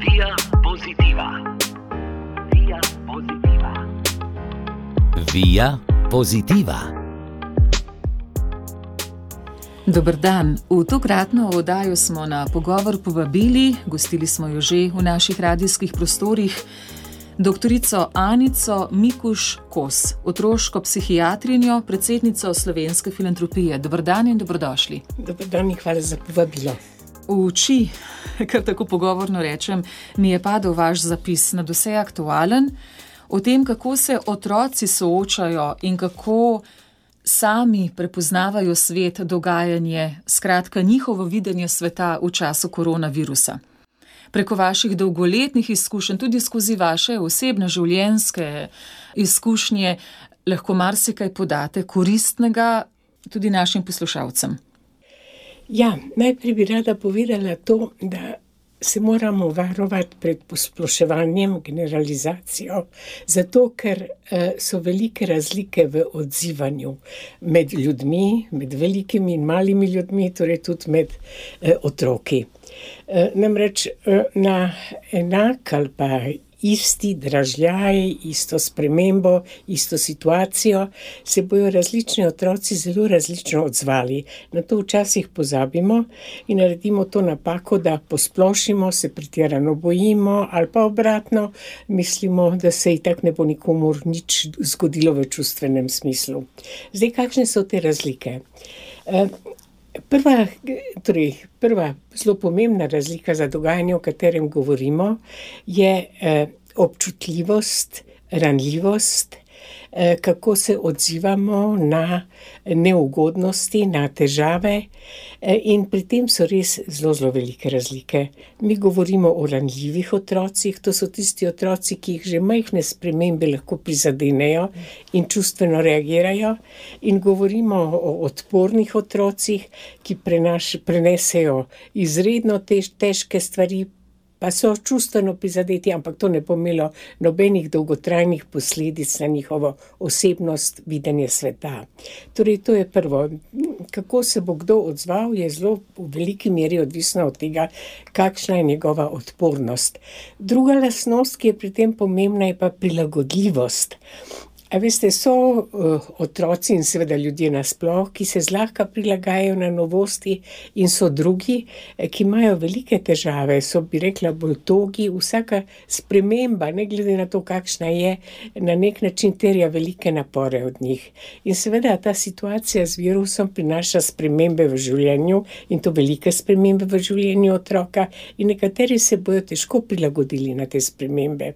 Via Positiva. Via Positiva. Via Positiva. Dober dan. V tokratno oddajo smo na pogovor povabili, gostili smo jo že v naših radijskih prostorih, doktorico Anico Mikuš-Kos, otroško psihiatrinjo, predsednico Slovenske filantropije. Dober dan in dobrodošli. Dober dan in hvala za povabilo. V oči, kar tako pogovorno rečem, mi je padel vaš zapis nadvse aktualen o tem, kako se otroci soočajo in kako sami prepoznavajo svet, dogajanje, skratka njihovo videnje sveta v času koronavirusa. Preko vaših dolgoletnih izkušenj, tudi skozi vaše osebne življenjske izkušnje, lahko marsikaj podate koristnega tudi našim poslušalcem. Ja, najprej bi rada povedala to, da se moramo varovati pred posploševanjem, generalizacijo, zato ker so velike razlike v odzivanju med ljudmi, med velikimi in malimi ljudmi, torej tudi med otroki. Namreč na enak ali pa isti dražljaj, isto spremembo, isto situacijo se bojo različni otroci zelo različno odzvali. Na to včasih pozabimo in naredimo to napako, da posplošimo, se pretirano bojimo ali pa obratno, mislimo, da se itak ne bo nikomur nič zgodilo v čustvenem smislu. Zdaj, kakšne so te razlike? Prva zelo pomembna razlika za dogajanje, o katerem govorimo, je občutljivost, ranljivost, kako se odzivamo na neugodnosti, na težave, in pri tem so res zelo velike razlike. Mi govorimo o ranljivih otrocih, to so tisti otroci, ki jih že majhne spremembe lahko prizadenejo in čustveno reagirajo, in govorimo o odpornih otrocih, ki prenesejo izredno težke stvari, pa so čustveno prizadeti, ampak to ne bo imelo nobenih dolgotrajnih posledic na njihovo osebnost, videnje sveta. Torej, to je prvo. Kako se bo kdo odzval, je zelo v veliki meri odvisno od tega, kakšna je njegova odpornost. Druga lastnost, ki je pri tem pomembna, je pa prilagodljivost. A veste, so otroci in seveda ljudje nasploh, ki se zlahka prilagajajo na novosti, in so drugi, ki imajo velike težave, so, bi rekla, bolj togi. Vsaka sprememba, ne glede na to, kakšna je, na nek način terja velike napore od njih. In seveda ta situacija z virusom prinaša spremembe v življenju, in to velike spremembe v življenju otroka, in nekateri se bojo težko prilagodili na te spremembe.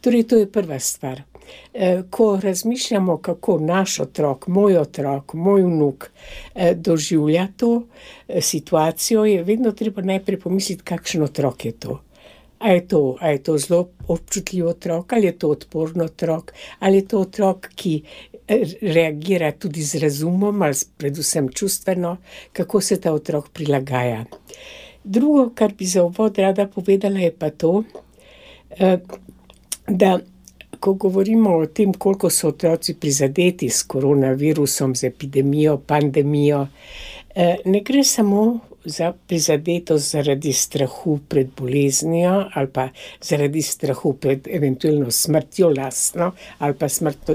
Torej, to je prva stvar. Ko razmišljamo, kako naš otrok, moj vnuk doživlja to situacijo, je vedno treba najprej pomisliti, kakšen otrok je to. A je to zelo občutljiv otrok, ali je to odporn otrok, ali je to otrok, ki reagira tudi z razumom, ali predvsem čustveno, kako se ta otrok prilagaja. Drugo, kar bi za uvod rada povedala, je pa to, da ko govorimo o tem, koliko so otroci prizadeti s koronavirusom, z epidemijo, pandemijo, ne gre samo za prizadetost zaradi strahu pred boleznijo ali pa zaradi strahu pred eventualno smrtjo lastno ali pa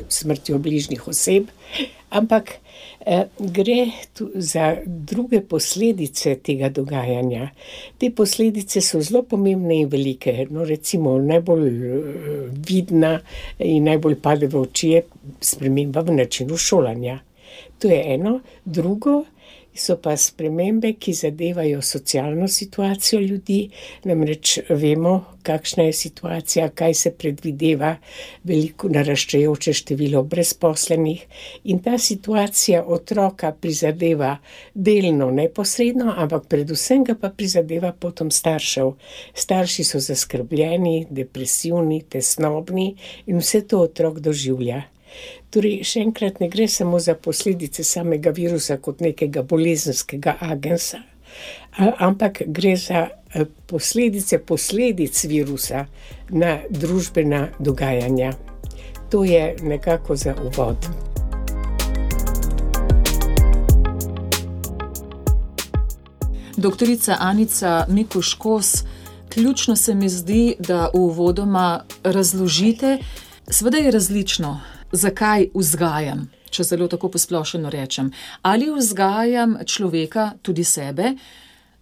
smrtjo bližnjih oseb, ampak gre tu za druge posledice tega dogajanja. Te posledice so zelo pomembne in velike. No, recimo, najbolj vidna in najbolj pade v oči je sprememba v načinu šolanja. To je eno. Drugo so pa spremembe, ki zadevajo socialno situacijo ljudi, namreč vemo, kakšna je situacija, kaj se predvideva, veliko naraščajoče število brezposlenih, in ta situacija otroka prizadeva delno neposredno, ampak predvsem ga pa prizadeva potom staršev. Starši so zaskrbljeni, depresivni, tesnobni in vse to otrok doživlja. Torej, še enkrat, ne gre samo za posledice samega virusa kot nekega bolezenskega agensa, ampak gre za posledic virusa na družbena dogajanja. To je nekako za uvod. Doktorica Anica Mikuš-Kos, ključno se mi zdi, da uvodoma razložite, seveda je različno, zakaj vzgajam, če zelo tako posplošeno rečem. Ali vzgajam človeka, tudi sebe,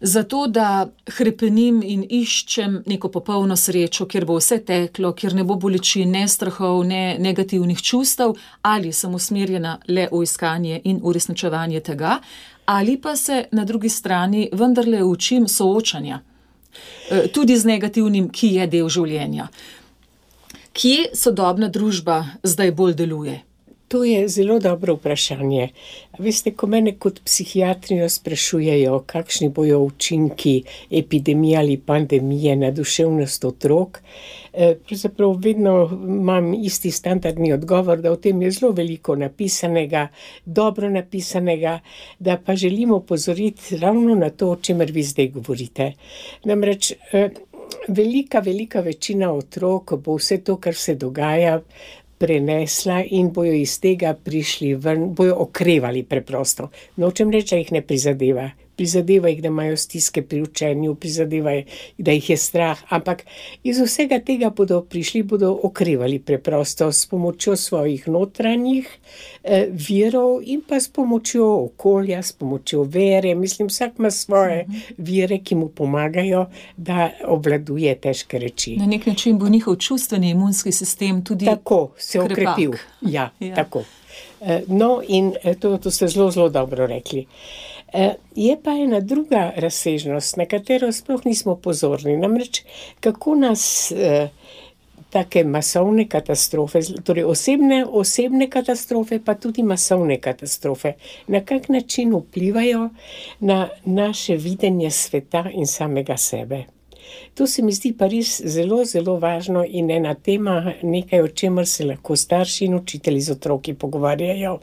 zato da hrepenim in iščem neko popolno srečo, kjer bo vse teklo, kjer ne bo bolečin, ne strahov, ne negativnih čustev, ali sem usmerjena le v iskanje in uresničevanje tega, ali pa se na drugi strani vendarle učim soočanja, tudi z negativnim, ki je del življenja. Kje sodobna družba zdaj bolj deluje? To je zelo dobro vprašanje. Veste, ko mene kot psihiatrijo sprašujejo, kakšni bojo učinki epidemije ali pandemije na duševnost otrok, pravzaprav vedno imam isti standardni odgovor, da o tem je zelo veliko napisanega, dobro napisanega, da pa želimo opozoriti ravno na to, o čemer vi zdaj govorite. Namreč velika večina otrok bo vse to, kar se dogaja, prenesla in bojo iz tega prišli ven, bojo okrevali preprosto. Nočem reči, da jih ne prizadeva. Prizadeva jih, da imajo stiske pri učenju, prizadeva jih, da jih je strah, ampak iz vsega tega bodo okrevali preprosto s pomočjo svojih notranjih virov in pa s pomočjo okolja, s pomočjo vere. Mislim, vsak ima svoje vire, ki mu pomagajo, da obvladuje težke reči. Na nek način bo njihov čustveni imunski sistem tudi tako se okrepil. Ja, tako. No, in to ste zelo dobro rekli. Je pa ena druga razsežnost, na katero sploh nismo pozorni. Namreč, kako nas take masovne katastrofe, torej osebne katastrofe, pa tudi masovne katastrofe, na kak način vplivajo na naše videnje sveta in samega sebe. To se mi zdi pa res zelo važno in ena tema, nekaj, o čemer se lahko starši in učitelji z otroki pogovarjajo.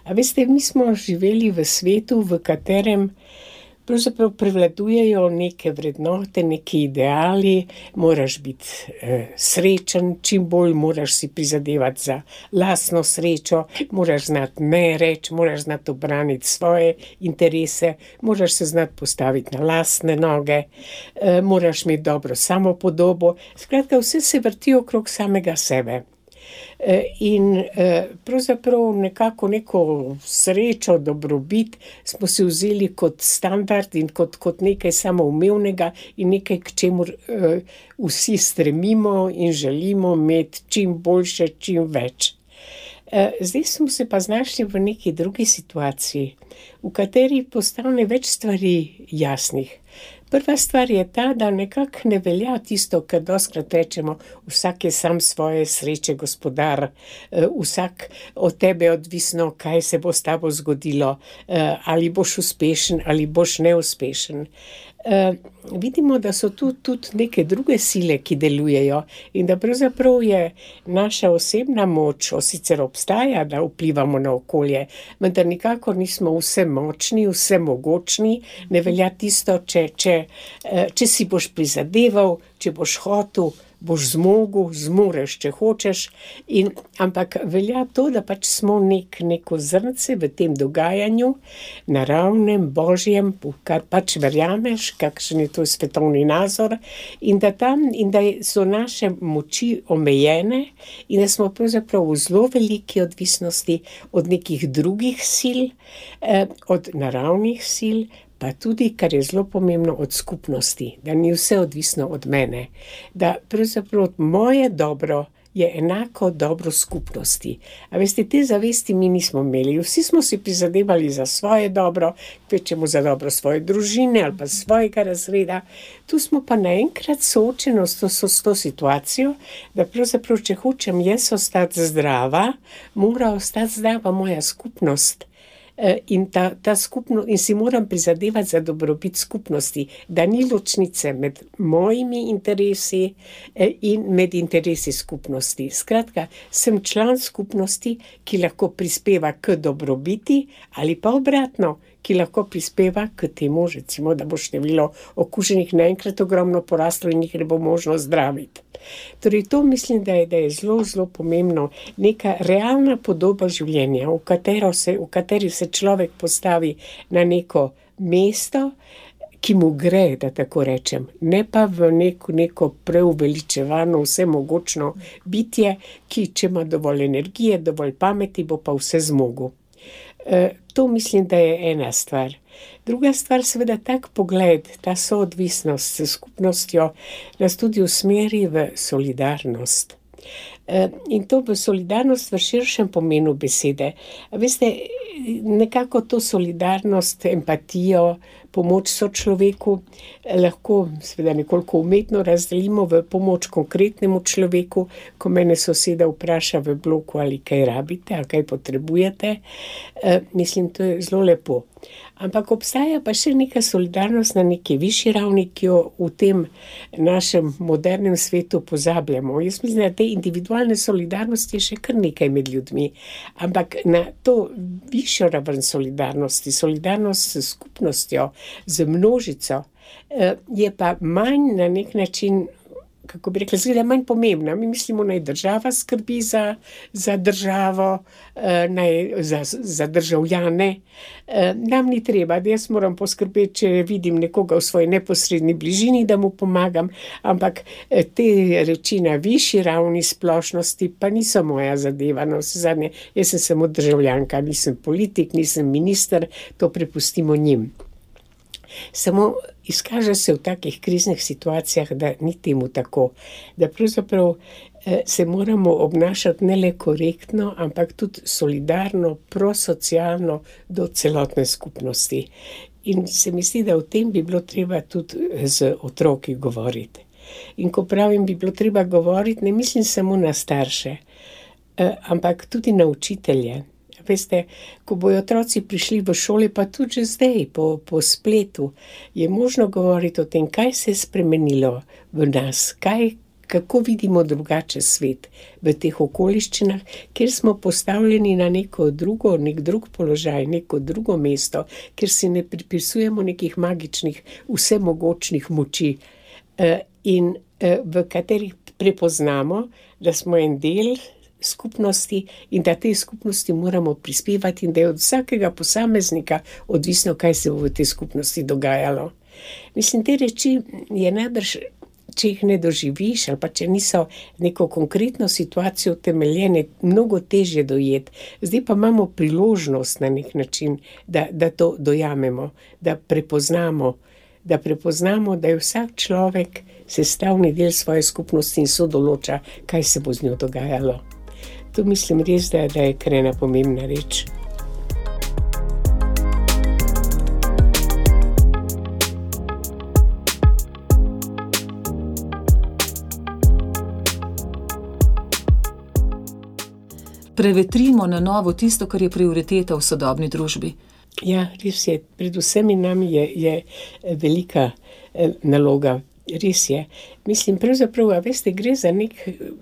A veste, mi smo živeli v svetu, v katerem pravzaprav prevladujejo neke vrednote, neki ideali, moraš biti srečen, čim bolj moraš si prizadevati za lastno srečo, moraš znati ne reči, moraš znati obraniti svoje interese, moraš se znati postaviti na lastne noge, moraš imeti dobro samopodobo. Skratka, vse se vrti okrog samega sebe. In pravzaprav nekako neko srečo, dobrobit smo si vzeli kot standard in kot nekaj samoumevnega in nekaj, k čemur vsi stremimo in želimo imeti čim boljše, čim več. Zdaj smo se pa znašli v neki drugi situaciji, v kateri postane več stvari jasnih. Prva stvar je ta, da nekako ne velja tisto, kar dostikrat rečemo, vsak je sam svoje sreče gospodar, vsak od tebe odvisno, kaj se bo s tabo zgodilo, ali boš uspešen ali boš neuspešen. Vidimo, da so tu tudi neke druge sile, ki delujejo in da pravzaprav je naša osebna moč, sicer obstaja, da vplivamo na okolje, vendar nikakor nismo vse močni, vse mogočni, ne velja tisto, če si boš prizadeval, če boš hotel, boš zmoreš, če hočeš, ampak velja to, da pač smo neko zrnce v tem dogajanju, naravnem, božjem, kar pač verjameš, kakšen je to svetovni nazor, in da so naše moči omejene in da smo pravzaprav v zelo veliki odvisnosti od nekih drugih sil, od naravnih sil, pa tudi, kar je zelo pomembno, od skupnosti, da ni vse odvisno od mene, da pravzaprav moje dobro je enako dobro skupnosti. A veste, te zavesti mi nismo imeli. Vsi smo si prizadevali za svoje dobro, kvečemo za dobro svoje družine ali pa svojega razreda. Tu smo pa naenkrat soočeni s to situacijo, da pravzaprav, če hočem jaz ostati zdrava, mora ostati zdrava moja skupnost. In in si moram prizadevati za dobrobit skupnosti, da ni ločnice med mojimi interesi in med interesi skupnosti. Skratka, sem član skupnosti, ki lahko prispeva k dobrobiti ali pa obratno, ki lahko prispeva k temu, recimo, da bo število okuženih naenkrat ogromno poraslo in jih ne bo možno zdraviti. Torej, to mislim, da je zelo pomembno, neka realna podoba življenja, v kateri se človek postavi na neko mesto, ki mu gre, da tako rečem, ne pa v neko preuveličevano, vsemogočno bitje, ki če ima dovolj energije, dovolj pameti, bo pa vse zmogel. To mislim, da je ena stvar. Druga stvar, seveda tak pogled, ta soodvisnost s skupnostjo nas tudi usmeri v solidarnost. In to v solidarnost v širšem pomenu besede. Veste, nekako to solidarnost, empatijo, pomoč sočloveku lahko seveda nekoliko umetno razdelimo v pomoč konkretnemu človeku, ko mene soseda vpraša v bloku, ali kaj rabite, ali kaj potrebujete. Mislim, to je zelo lepo. Ampak obstaja pa še neka solidarnost na neki višji ravni, ki jo v tem našem modernem svetu pozabljamo. Jaz mislim, da te individualne solidarnosti je še kar nekaj med ljudmi. Ampak na to višjo raven solidarnosti, solidarnost s skupnostjo, z množico, je pa manj na nek način, kako bi rekla, zgleda manj pomembna. Mi mislimo, naj država skrbi za državo, za državljane. Nam ni treba, da jaz moram poskrbeti, če vidim nekoga v svoji neposredni bližini, da mu pomagam, ampak te reči na višji ravni splošnosti pa niso moja zadeva. No, zadnje, jaz sem samo državljanka, nisem politik, nisem minister, to prepustimo njim. Samo izkaže se v takih kriznih situacijah, da ni temu tako, da pravzaprav se moramo obnašati ne le korektno, ampak tudi solidarno, prosocialno do celotne skupnosti. In se mi zdi, da o tem bi bilo treba tudi z otroki govoriti. In ko pravim, bi bilo treba govoriti, ne mislim samo na starše, ampak tudi na učitelje. Veste, ko bojo otroci prišli v šole, pa tudi že zdaj po spletu, je možno govoriti o tem, kaj se je spremenilo v nas, kako vidimo drugače svet v teh okoliščinah, kjer smo postavljeni na nek drug položaj, neko drugo mesto, kjer si ne pripisujemo nekih magičnih, vsemogočnih moči, in v katerih prepoznamo, da smo en del skupnosti in da tej skupnosti moramo prispevati in da je od vsakega posameznika odvisno, kaj se bo v tej skupnosti dogajalo. Mislim, te reči je najbrž, če jih ne doživiš ali pa če niso neko konkretno situacijo utemeljene, mnogo težje dojeti. Zdaj pa imamo priložnost na nek način, da to dojamemo, da prepoznamo, da je vsak človek sestavni del svoje skupnosti in sodoloča, kaj se bo z njo dogajalo. To mislim res, da je kar ena pomembna reč. Prevetrimo na novo tisto, kar je prioriteta v sodobni družbi. Ja, res je. Pred vsemi nami je velika naloga. Res je. Mislim, pravzaprav, veste, gre za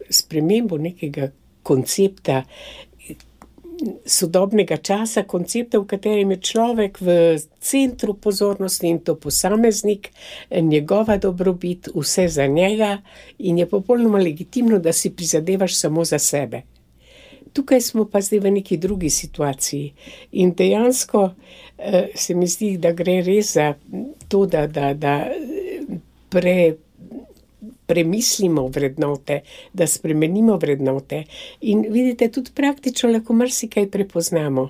spremembo nekega koncepta sodobnega časa, koncepta, v katerem je človek v centru pozornosti in to posameznik, njegova dobrobit, vse za njega in je popolnoma legitimno, da si prizadevaš samo za sebe. Tukaj smo pa zdaj v neki drugi situaciji in dejansko se mi zdi, da gre res za to, da premislimo vrednote, da spremenimo vrednote in vidite, tudi praktično lahko marsikaj prepoznamo.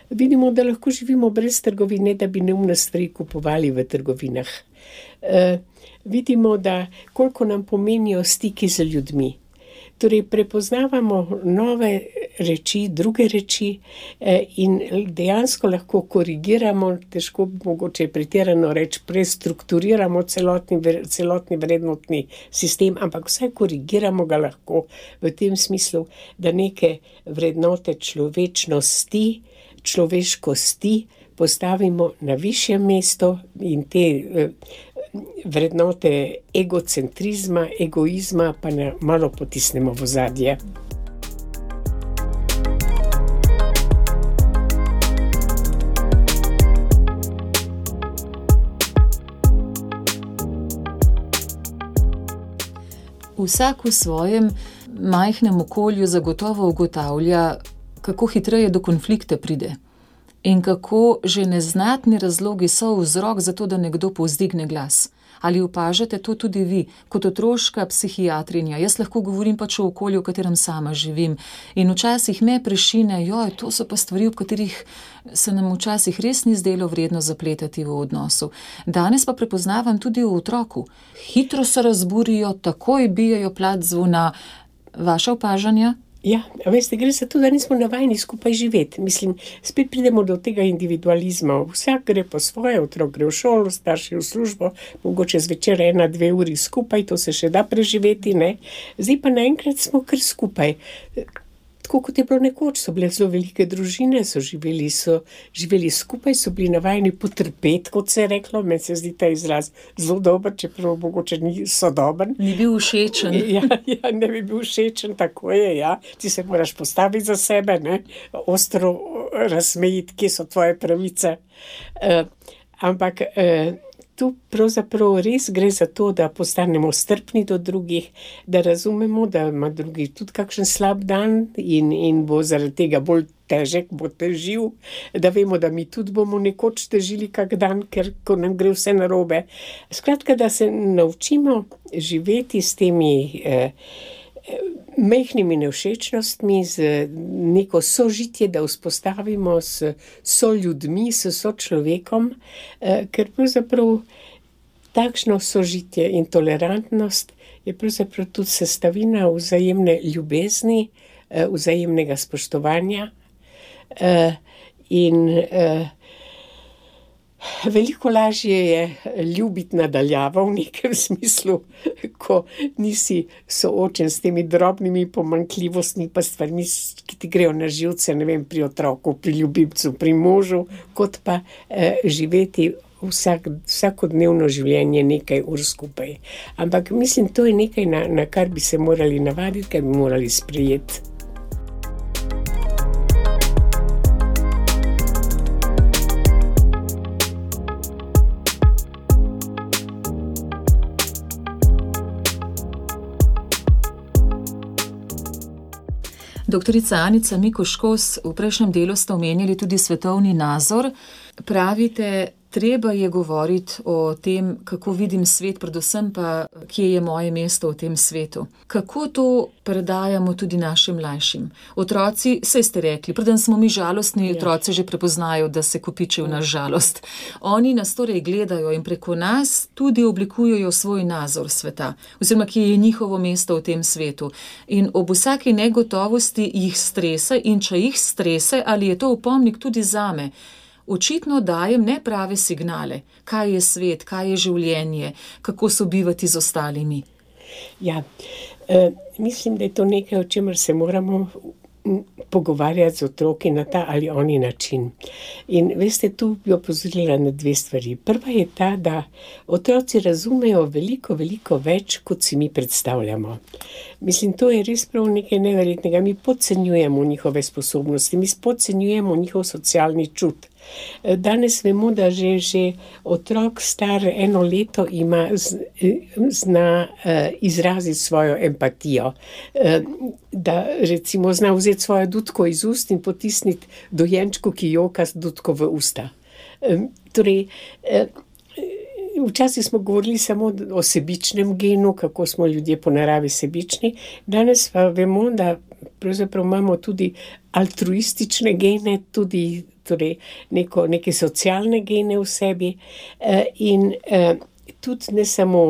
Vidimo, da lahko živimo brez trgovine, da bi neumne stvari kupovali v trgovinah. Vidimo, da koliko nam pomenijo stiki z ljudmi. Torej, prepoznavamo nove reči, druge reči in dejansko lahko korigiramo, težko mogoče pretirano reči, prestrukturiramo celotni vrednotni sistem, ampak vsaj korigiramo ga lahko v tem smislu, da neke vrednote človečnosti, človeškosti postavimo na višje mesto in te vrednote egocentrizma, egoizma pa malo potisnemo v ozadje. Vsak v svojem majhnem okolju zagotovo ugotavlja, kako hitreje do konflikta pride. in kako že neznatni razlogi so vzrok za to, da nekdo povzdigne glas. Ali opažate to tudi vi, kot otroška psihiatrinja? Jaz lahko govorim pač o okolju, v katerem sama živim. In včasih me prešine, to so pa stvari, v katerih se nam včasih res ni zdelo vredno zapletati v odnosu. Danes pa prepoznavam tudi v otroku. Hitro se razburijo, takoj bijajo plat zvona. Vaša opažanja? Ja, veste, gre za to, da nismo navajeni skupaj živeti. Mislim, spet pridemo do tega individualizma. Vsak gre po svoje, otrok gre v šolo, starši v službo, mogoče zvečer 1-2 uri skupaj, to se še da preživeti, ne. Zdaj pa naenkrat smo kar skupaj. Tako kot je bilo nekoč, so bile zelo velike družine, so živeli skupaj, so bili navajeni potrpeti, kot se je reklo. Meni se zdi ta izraz zelo dober, čeprav mogoče ni sodoben. Ni bil všečen. Ja, ne bi bil všečen, tako je, ja. Ti se moraš postaviti za sebe, ne, ostro razmejiti, kje so tvoje pravice. Ampak tu pravzaprav res gre za to, da postanemo strpni do drugih, da razumemo, da ima drugi tudi kakšen slab dan in bo zaradi tega bolj težek, bo težil, da vemo, da mi tudi bomo nekoč težili kak dan, ker ko nam gre vse narobe. Skratka, da se naučimo živeti s temi majhnimi nevšečnostmi, z neko sožitje, da vzpostavimo s soljudmi, s sočlovekom, ker pravzaprav takšno sožitje in tolerantnost je pravzaprav tudi sestavina vzajemne ljubezni, vzajemnega spoštovanja in veliko lažje je ljubiti nadaljavo v nekem smislu, ko nisi soočen s temi drobnimi pomanjkljivostmi pa stvarmi, ki ti grejo na živce, ne vem, pri otroku, pri ljubimcu, pri možu, kot pa živeti vsakodnevno življenje nekaj ur skupaj. Ampak mislim, to je nekaj, na kar bi se morali navaditi, kar bi morali sprejeti. Doktorica Anica Mikuš-Kos, v prejšnjem delu ste omenjali tudi svetovni nazor. Pravite, treba je govoriti o tem, kako vidim svet, predvsem pa, kje je moje mesto v tem svetu. Kako to predajamo tudi našim mlajšim? Otroci, saj ste rekli, preden smo mi žalostni, otroci že prepoznajo, da se kopiči v naš žalost. Oni nas torej gledajo in preko nas tudi oblikujejo svoj nazor sveta, oziroma kje je njihovo mesto v tem svetu. In ob vsaki negotovosti jih strese in če jih strese, ali je to opomnik tudi zame. Očitno dajem neprave signale, kaj je svet, kaj je življenje, kako sobivati z ostalimi. Ja, mislim, da je to nekaj, o čemer se moramo pogovarjati z otroki na ta ali oni način. In veste, tu bi opozorila na 2 stvari. Prva je ta, da otroci razumejo veliko, veliko več, kot si mi predstavljamo. Mislim, to je res prav nekaj neverjetnega. Mi podcenjujemo njihove sposobnosti, mi podcenjujemo njihov socialni čut. Danes vemo, da že otrok star 1 leto zna izraziti svojo empatijo, da recimo zna vzeti svojo dutko iz ust in potisniti dojenčku, ki joka z dutko v usta. Torej, včasih smo govorili samo o sebičnem genu, kako smo ljudje po naravi sebični, danes pa vemo, da pravzaprav imamo tudi altruistične gene, tudi torej neke socialne gene v sebi in tudi ne samo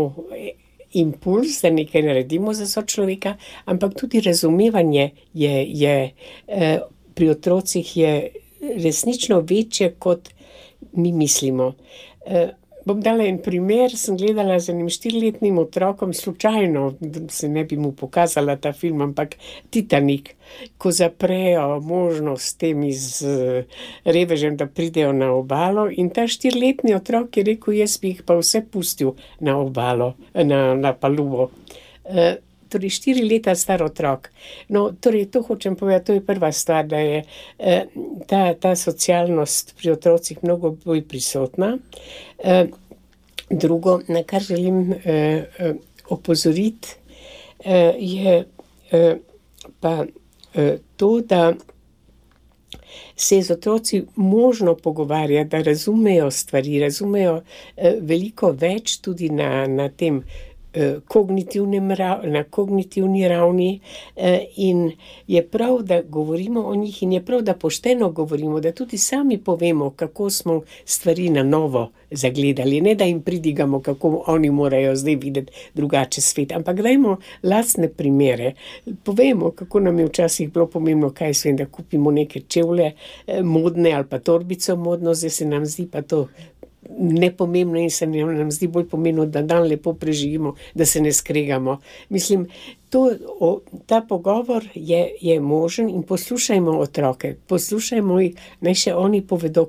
impuls, da nekaj naredimo za sočloveka, ampak tudi razumevanje je pri otrocih je resnično večje, kot mi mislimo. Bom dala en primer, sem gledala z enim 4-letnim otrokom, slučajno, se ne bi mu pokazala ta film, ampak Titanik, ko zaprejo možnost temi z revežem, da pridejo na obalo in ta 4-letni otrok je rekel, jaz bi jih pa vse pustil na obalo, na palubo. Torej 4 leta star otrok. No, torej to hočem povedati, to je prva stvar, da je ta socialnost pri otrocih mnogo bolj prisotna. Drugo, na kar želim opozoriti, je pa to, da se je z otroci možno pogovarjati, da razumejo stvari, razumejo veliko več tudi na tem na kognitivni ravni, in je prav, da govorimo o njih in je prav, da pošteno govorimo, da tudi sami povemo, kako smo stvari na novo zagledali, ne da jim pridigamo, kako oni morajo zdaj videti drugače svet, ampak dajmo lastne primere. Povemo, kako nam je včasih bilo pomembno, kaj svem, da kupimo neke čevlje modne ali pa torbico modno, zdaj se nam zdi pa to nepomembno in se nam zdi bolj pomembno, da dan lepo preživimo, da se ne skregamo. Mislim, ta pogovor je možen in poslušajmo otroke, poslušajmo jih, naj še oni povedo,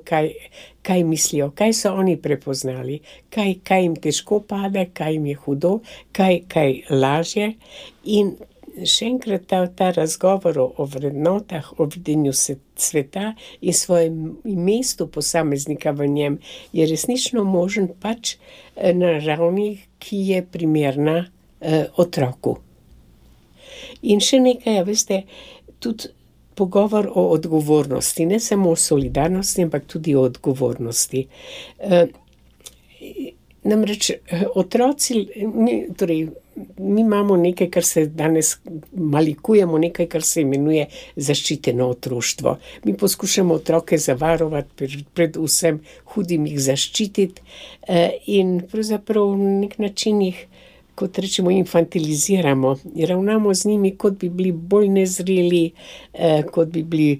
kaj mislijo, kaj so oni prepoznali, kaj jim težko pade, kaj jim je hudo, kaj lažje. In še enkrat ta razgovor o vrednotah, o videnju sveta in svojem mestu posameznika v njem je resnično možen pač na ravni, ki je primerna otroku. In še nekaj, veste, tudi pogovor o odgovornosti, ne samo o solidarnosti, ampak tudi o odgovornosti. Namreč otroci, mi imamo nekaj, kar se danes malikujemo, nekaj, kar se imenuje zaščiteno otroštvo. Mi poskušamo otroke zavarovati, pred vsem hudim jih zaščititi in pravzaprav na nek način jih, kot rečemo, infantiliziramo. Ravnamo z njimi, kot bi bili bolj nezreli, kot bi bili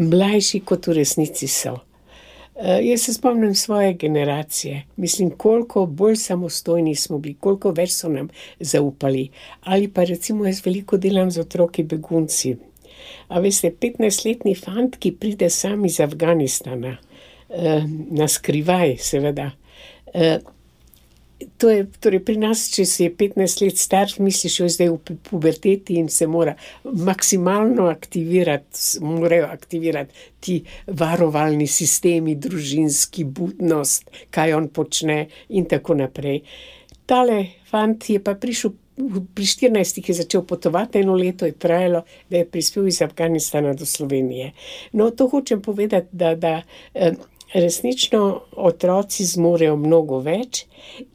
mlajši, kot v resnici so. Jaz se spomnim svoje generacije. Mislim, koliko bolj samostojni smo bili, koliko več so nam zaupali. Ali pa recimo jaz veliko delam z otroki begunci. A veste, 15-letni fant, ki pride sam iz Afganistana, na skrivaj seveda. To je, torej pri nas, če si je 15 let star, misliš, jo zdaj v puberteti in se mora maksimalno morajo aktivirati ti varovalni sistemi, družinski, budnost, kaj on počne in tako naprej. Tale fant je pa prišel, pri 14 je začel potovati, 1 leto je trajalo, da je prispel iz Afganistana do Slovenije. No, to hočem povedati, da resnično otroci zmorejo mnogo več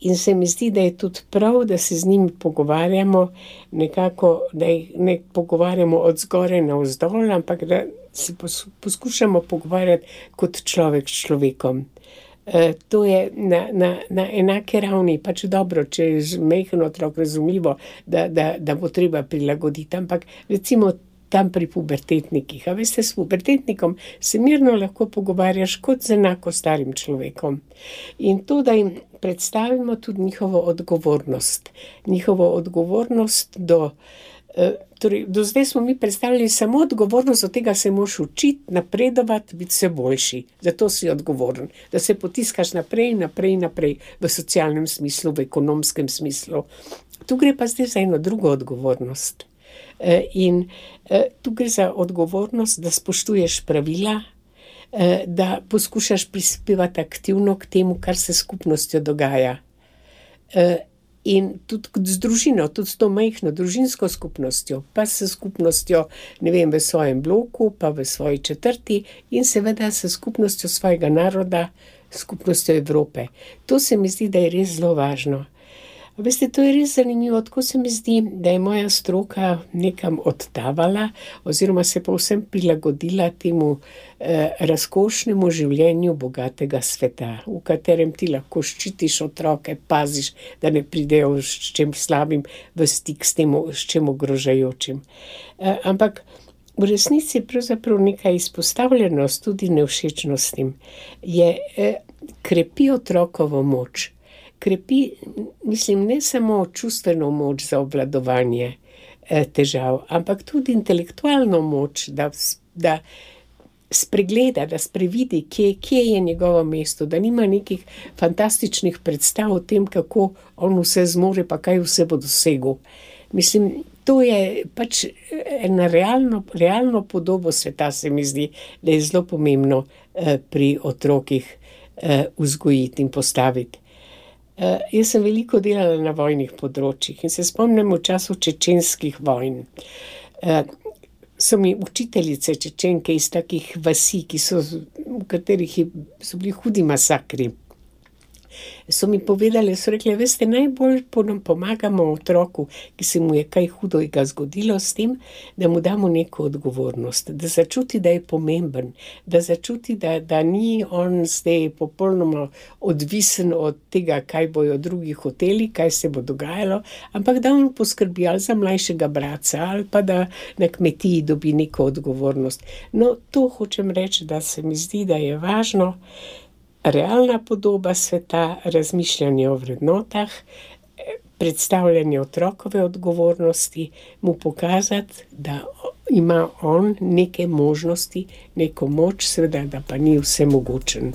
in se mi zdi, da je tudi prav, da se z njimi pogovarjamo nekako, da jih ne pogovarjamo od zgoraj navzdol, ampak da se poskušamo pogovarjati kot človek s človekom. To je na enake ravni, pač dobro, če je majhen otrok, razumljivo, da bo treba prilagoditi, ampak recimo tam pri pubertetnikih. A veste, s pubertetnikom se mirno lahko pogovarjaš kot z enako starim človekom. In to, da jim predstavimo tudi njihovo odgovornost. Njihovo odgovornost do zdaj smo mi predstavljali samo odgovornost, od tega se moraš učiti, napredovati, biti vse boljši. Zato si odgovoren. Da se potiskaš naprej v socialnem smislu, v ekonomskem smislu. Tu gre pa zdaj za eno drugo odgovornost. In tu gre za odgovornost, da spoštuješ pravila, da poskušaš prispevati aktivno k temu, kar se s skupnostjo dogaja. In tudi z družino, tudi s to majhno družinsko skupnostjo, pa s skupnostjo, ne vem, v svojem bloku, pa v svoji četrti in seveda s skupnostjo svojega naroda, skupnostjo Evrope. To se mi zdi, da je res zelo važno. Veste, to je res zanimivo, tako se mi zdi, da je moja stroka nekam odtavala oziroma se povsem prilagodila temu razkošnemu življenju bogatega sveta, v katerem ti lahko ščitiš otroke, paziš, da ne pridejo s čem slabim v stik s tem, s čem ogrožajočim. Ampak v resnici pravzaprav neka izpostavljenost tudi nevšečnostim krepi otrokovo moč. Krepi, mislim, ne samo čustveno moč za obvladovanje težav, ampak tudi intelektualno moč, da spregleda, da sprevidi, kje je njegovo mesto, da nima nekih fantastičnih predstav o tem, kako on vse zmore, pa kaj vse bo dosegel. Mislim, to je pač ena realno podobo sveta, se mi zdi, da je zelo pomembno pri otrokih vzgojiti in postaviti. Jaz sem veliko delala na vojnih področjih in se spomnim v času čečenskih vojn. so mi učiteljice Čečenke iz takih vasi, v katerih so bili hudi masakri. So mi povedali, so rekli, veste, najbolj pomagamo otroku, ki se mu je kaj hudega zgodilo s tem, da mu damo neko odgovornost, da začuti, da je pomemben, da začuti, da ni on zdaj popolnoma odvisen od tega, kaj bojo drugi hoteli, kaj se bo dogajalo, ampak da on poskrbi ali za mlajšega bratca ali pa da na kmetiji dobi neko odgovornost. No, to hočem reči, da se mi zdi, da je važno, realna podoba sveta, razmišljanje o vrednotah, predstavljanje otrokove odgovornosti, mu pokazati, da ima on neke možnosti, neko moč, seveda, da pa ni vsemogočen.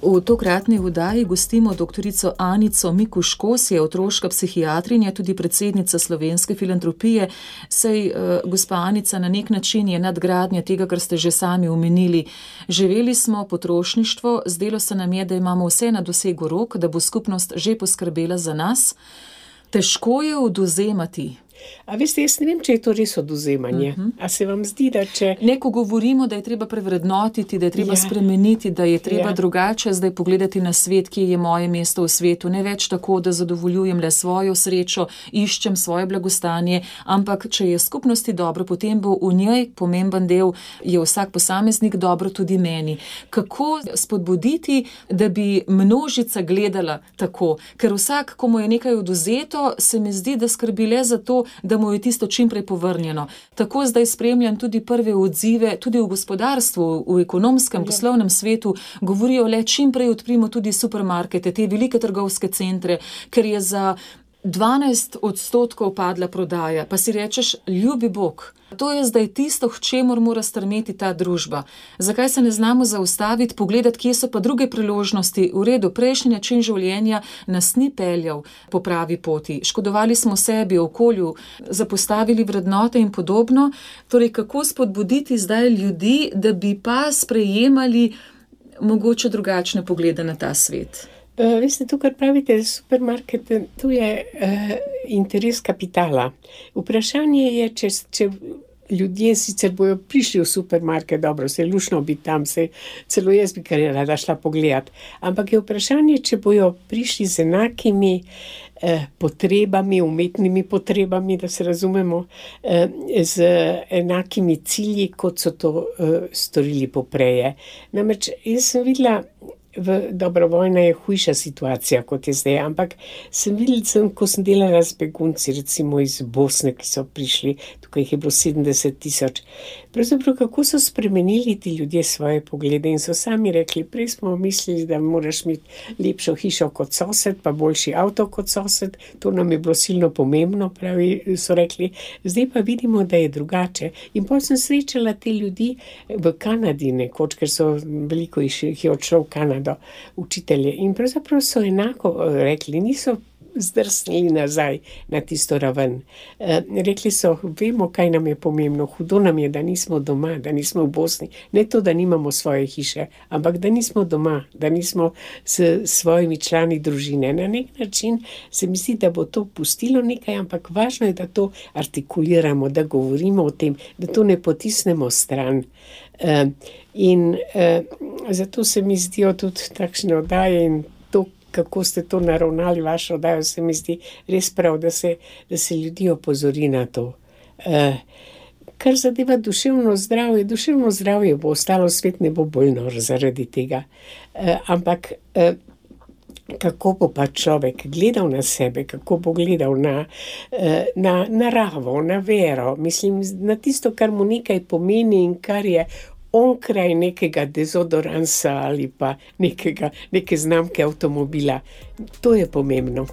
V tokratni oddaji gostimo doktorico Anico Mikuš-Kos, je otroška psihiatrinja, tudi predsednica Slovenske filantropije. Sej, gospa Anica, na nek način je nadgradnja tega, kar ste že sami omenili. Živeli smo potrošništvo, zdelo se nam je, da imamo vse na dosegu rok, da bo skupnost že poskrbela za nas. Težko je odvzemati. A veste, jaz ne vem, če je to res odvzemanje. A se vam zdi, da če... Neko govorimo, da je treba prevrednotiti, da je treba spremeniti, da je treba drugače zdaj pogledati na svet, kje je moje mesto v svetu. Ne več tako, da zadovoljujem le svojo srečo, iščem svoje blagostanje, ampak če je skupnosti dobro, potem bo v njej pomemben del, je vsak posameznik dobro tudi meni. Kako spodbuditi, da bi množica gledala tako? Ker vsak, ko mu je nekaj odvzeto, se mi zdi, da skrbi le za to, da mu je tisto čimprej povrnjeno. Tako zdaj spremljam tudi prve odzive, tudi v gospodarstvu, v ekonomskem, poslovnem svetu, govorijo le čimprej odprimo tudi supermarkete, te velike trgovske centre, ker je za 12% padla prodaja, pa si rečeš, ljubi Bog. To je zdaj tisto, k čemur mora strmeti ta družba. Zakaj se ne znamo zaustaviti, pogledati, kje so pa druge priložnosti? V redu, prejšnji način življenja nas ni peljal po pravi poti. Škodovali smo sebi, okolju, zapostavili vrednote in podobno. Torej, kako spodbuditi zdaj ljudi, da bi pa sprejemali mogoče drugačne poglede na ta svet? Veste, to, kar pravite, supermarket, to je interes kapitala. Vprašanje je, če ljudje sicer bojo prišli v supermarket, dobro, se je lušno biti tam, celo jaz bi kar rada šla pogledat, ampak je vprašanje, če bojo prišli z enakimi potrebami, umetnimi potrebami, da se razumemo, z enakimi cilji, kot so to storili popreje. Namreč, jaz sem videla, dobro, vojna je hujša situacija, kot je zdaj, ampak sem videla, ko sem delala z begunci, recimo iz Bosne, ki so prišli, tukaj jih je bilo 70,000. Pravzaprav, kako so spremenili ti ljudje svoje poglede in so sami rekli, prej smo mislili, da moraš imeti lepšo hišo kot sosed, pa boljši avto kot sosed, to nam je bilo silno pomembno, pravi, so rekli, zdaj pa vidimo, da je drugače. In potem sem srečala te ljudi v Kanadi nekoč, ker so veliko jih je odšlo v Kanado, učitelje. In pravzaprav so enako rekli, niso zdrsnili nazaj na tisto raven. Rekli so, vemo, kaj nam je pomembno, hudo nam je, da nismo doma, da nismo v Bosni. Ne to, da nimamo svoje hiše, ampak da nismo doma, da nismo s svojimi člani družine. Na nek način se mi zdi, da bo to pustilo nekaj, ampak važno je, da to artikuliramo, da govorimo o tem, da to ne potisnemo stran. Zato se mi zdijo tudi takšne oddaje in to, kako ste to naravnali, vašo oddajo, se mi zdi res prav, da se ljudi opozori na to. Kar zadeva duševno zdravje bo ostalo, svet ne bo bolj nor zaradi tega. Ampak kako bo pa človek gledal na sebe, kako bo gledal na naravo, na vero, mislim, na tisto, kar mu nekaj pomeni in kar je onkraj nekega dezodoransa ali pa neke znamke avtomobila. To je pomembno.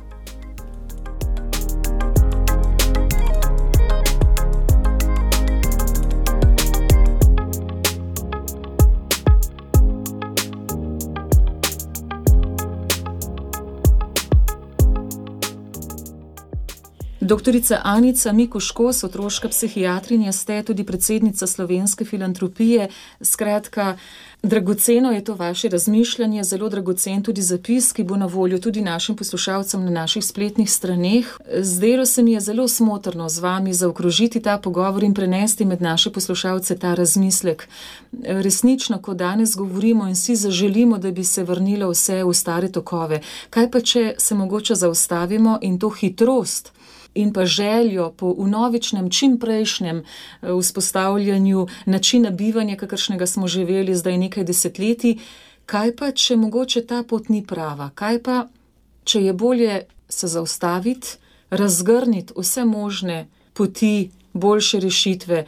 Doktorica Anica Mikuš-Kos, otroška psihiatrinja, ste tudi predsednica Slovenske filantropije. Skratka, dragoceno je to vaše razmišljanje, zelo dragocen tudi zapis, ki bo na voljo tudi našim poslušalcem na naših spletnih straneh. Zdelo se mi je zelo smotrno z vami zaokrožiti ta pogovor in prenesti med naše poslušalce ta razmislek. Resnično, ko danes govorimo in si zaželimo, da bi se vrnilo vse v stare tokove, kaj pa če se mogoče zaustavimo in to hitrost in pa željo po vnovičnem, čimprejšnjem vzpostavljanju načina bivanja, kakršnega smo živeli zdaj nekaj desetletij, kaj pa, če mogoče ta pot ni prava? Kaj pa, če je bolje se zaustaviti, razgrniti vse možne poti, boljše rešitve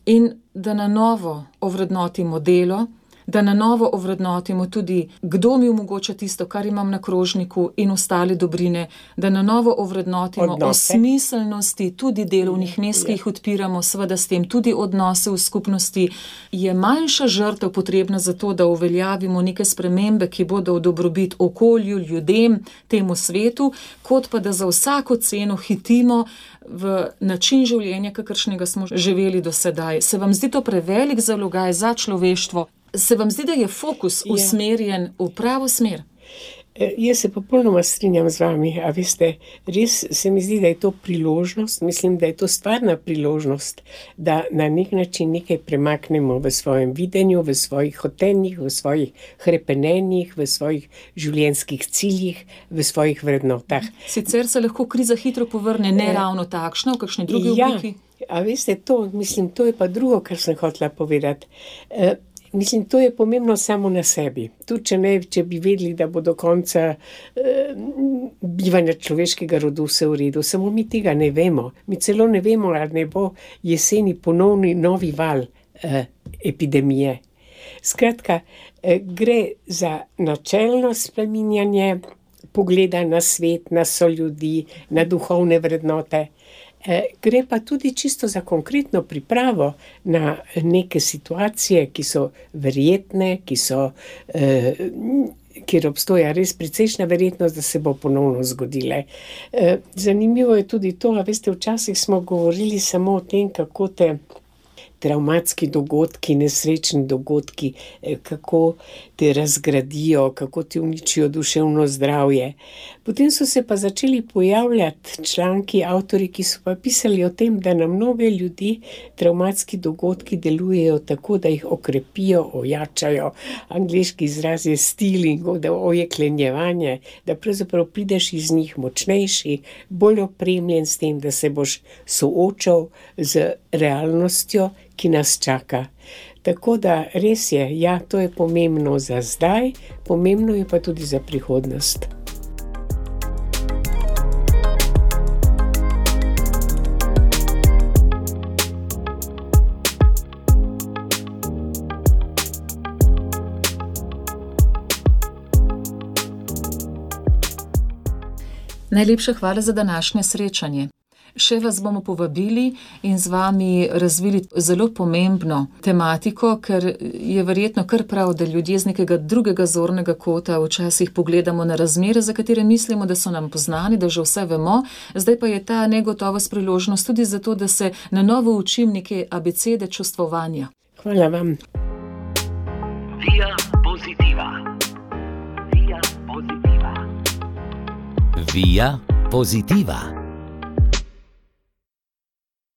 in da na novo ovrednotimo delo, da na novo ovrednotimo tudi, kdo mi omogoča tisto, kar imam na krožniku in ostale dobrine, da na novo ovrednotimo o smiselnosti tudi delovnih mest, ki jih odpiramo, seveda s tem tudi odnose v skupnosti. Je manjša žrtev potrebna za to, da uveljavimo neke spremembe, ki bodo v dobrobit okolju, ljudem, temu svetu, kot pa da za vsako ceno hitimo v način življenja, kakršnega smo živeli do sedaj. Se vam zdi to prevelik zalogaj za človeštvo? Se vam zdi, da je fokus usmerjen v pravo smer? Jaz se popolnoma strinjam z vami, a veste, res se mi zdi, da je to priložnost, mislim, da je to stvarna priložnost, da na nek način nekaj premaknemo v svojem videnju, v svojih hotenjih, v svojih hrepenenjih, v svojih življenjskih ciljih, v svojih vrednotah. Sicer se lahko kriza hitro povrne, ne ravno takšna, v kakšni drugi obliki. A veste, to je pa drugo, kar sem hotela povedati. Mislim, to je pomembno samo na sebi. Tudi če bi vedeli, da bo do konca bivanja človeškega rodu vse v redu, samo mi tega ne vemo. Mi celo ne vemo, ali ne bo jeseni ponovni novi val epidemije. Skratka, gre za načelno spreminjanje pogleda na svet, na soljudi, na duhovne vrednote. Gre pa tudi čisto za konkretno pripravo na neke situacije, ki so verjetne, kjer obstoja res precejšnja verjetnost, da se bo ponovno zgodile. Zanimivo je tudi to, a veste, včasih smo govorili samo o tem, kako te travmatski dogodki, nesrečni dogodki, kako te razgradijo, kako ti uničijo duševno zdravje. Potem so se pa začeli pojavljati članki, avtorji, ki so pa pisali o tem, da na mnoge ljudi travmatski dogodki delujejo tako, da jih okrepijo, ojačajo. Angleški izraz je stealing, da ojeklenjevanje, da pravzaprav prideš iz njih močnejši, bolj opremljen s tem, da se boš soočal z realnostjo, ki nas čaka. Tako da res je, ja, to je pomembno za zdaj, pomembno je pa tudi za prihodnost. Najlepša hvala za današnje srečanje. Še vas bomo povabili in z vami razvili zelo pomembno tematiko, ker je verjetno kar prav, da ljudje z nekega drugega zornega kota včasih pogledamo na razmere, za katere mislimo, da so nam poznani, da že vse vemo. Zdaj pa je ta negotovost priložnost tudi zato, da se na novo učim neke abecede čustvovanja. Hvala vam. Via Positiva. Via Positiva. Via Positiva.